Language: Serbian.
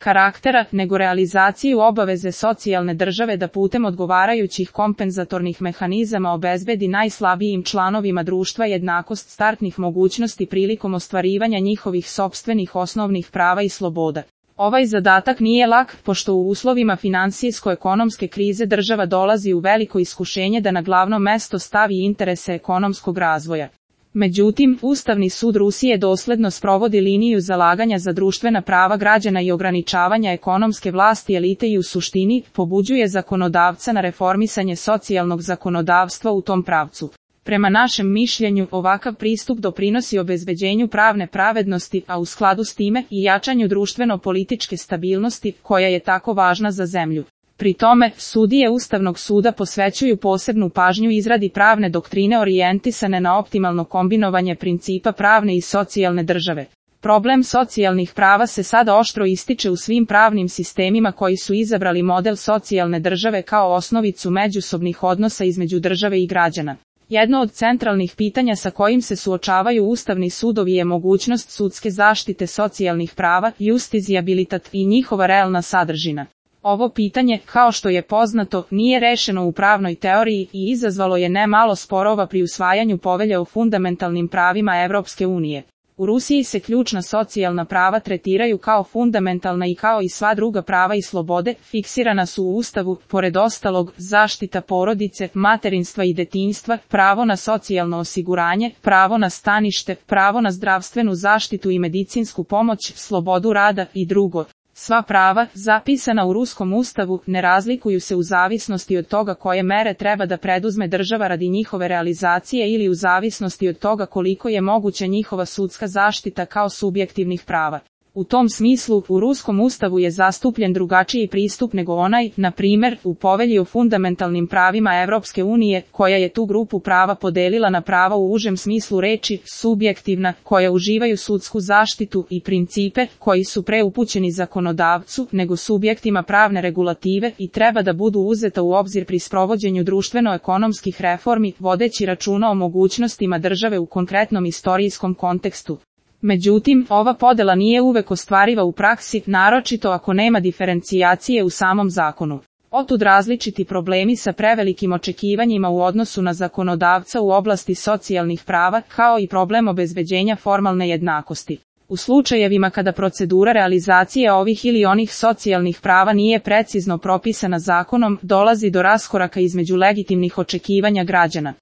karaktera, nego realizaciju obaveze socijalne države da putem odgovarajućih kompenzatornih mehanizama obezbedi najslabijim članovima društva jednakost startnih mogućnosti prilikom ostvarivanja njihovih sopstvenih osnovnih prava i sloboda. Ovaj zadatak nije lak, pošto u uslovima finansijsko-ekonomske krize država dolazi u veliko iskušenje da na glavno mesto stavi interese ekonomskog razvoja. Međutim, Ustavni sud Rusije dosledno sprovodi liniju zalaganja za društvena prava građana i ograničavanja ekonomske vlasti elite i u suštini pobuđuje zakonodavca na reformisanje socijalnog zakonodavstva u tom pravcu. Prema našem mišljenju, ovakav pristup doprinosi obezbeđenju pravne pravednosti, a u skladu s time i jačanju društveno-političke stabilnosti, koja je tako važna za zemlju. Pri tome, sudije Ustavnog suda posvećuju posebnu pažnju izradi pravne doktrine orijentisane na optimalno kombinovanje principa pravne i socijalne države. Problem socijalnih prava se sada oštro ističe u svim pravnim sistemima koji su izabrali model socijalne države kao osnovicu međusobnih odnosa između države i građana. Jedno od centralnih pitanja sa kojim se suočavaju ustavni sudovi je mogućnost sudske zaštite socijalnih prava, justiciabilitet i njihova realna sadržina. Ovo pitanje, kao što je poznato, nije rešeno u pravnoj teoriji i izazvalo je nemalo sporova pri usvajanju povelje o fundamentalnim pravima Evropske unije. U Rusiji se ključna socijalna prava tretiraju kao fundamentalna i kao i sva druga prava i slobode, fiksirana su u Ustavu, pored ostalog, zaštita porodice, materinstva i detinjstva, pravo na socijalno osiguranje, pravo na stanište, pravo na zdravstvenu zaštitu i medicinsku pomoć, slobodu rada i drugo. Sva prava, zapisana u ruskom ustavu, ne razlikuju se u zavisnosti od toga koje mere treba da preduzme država radi njihove realizacije ili u zavisnosti od toga koliko je moguća njihova sudska zaštita kao subjektivnih prava. U tom smislu, u ruskom ustavu je zastupljen drugačiji pristup nego onaj, na primjer, u povelji o fundamentalnim pravima Evropske unije, koja je tu grupu prava podelila na prava u užem smislu reči, subjektivna, koja uživaju sudsku zaštitu, i principe, koji su preupućeni zakonodavcu, nego subjektima pravne regulative i treba da budu uzeta u obzir pri sprovođenju društveno-ekonomskih reformi, vodeći računa o mogućnostima države u konkretnom istorijskom kontekstu. Međutim, ova podela nije uvek ostvariva u praksi, naročito ako nema diferencijacije u samom zakonu. Otud različiti problemi sa prevelikim očekivanjima u odnosu na zakonodavca u oblasti socijalnih prava, kao i problem obezbeđenja formalne jednakosti. U slučajevima kada procedura realizacije ovih ili onih socijalnih prava nije precizno propisana zakonom, dolazi do raskoraka između legitimnih očekivanja građana.